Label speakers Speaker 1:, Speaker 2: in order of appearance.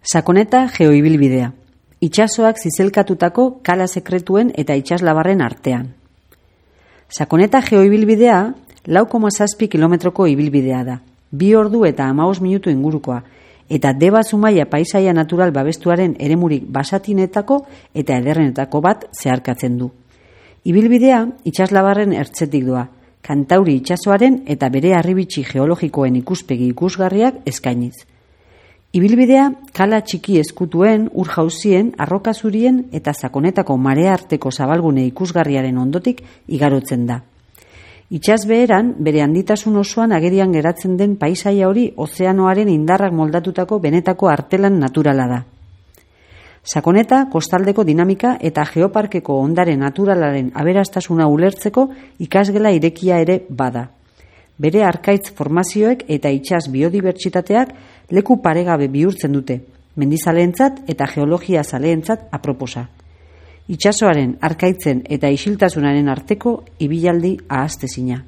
Speaker 1: Sakoneta geoibilbidea. Itsasoak zizelkatutako kala sekretuen eta itsaslabarren artean. Sakoneta geoibilbidea 4,7 kilometroko ibilbidea da. 2 ordu eta 15 minutu ingurukoa, eta Deba Zumaia paisaia natural babestuaren eremurik basatinetako eta ederrenetako bat zeharkatzen du. Ibilbidea itsaslabarren ertzetik doa, Kantauri itsasoaren eta bere harribitxi geologikoen ikuspegi ikusgarriak eskainiz. Ibilbidea kala txiki ezkutuen, ur jauzien, arroka zurien eta sakonetako marea arteko zabalgune ikusgarriaren ondotik igarotzen da. Itsas beheran, bere handitasun osoan agerian geratzen den paisaia hori ozeanoaren indarrak moldatutako benetako artelan naturala da. Sakoneta kostaldeko dinamika eta geoparkeko ondare naturalaren aberastasuna ulertzeko ikasgela irekia ere bada. Bere arkaitz formazioek eta itsas biodibertsitateak leku paregabe bihurtzen dute, mendizaleentzat eta geologia zaleentzat aproposa. Itsasoaren, arkaitzen eta isiltasunaren arteko ibilaldi ahaztezina.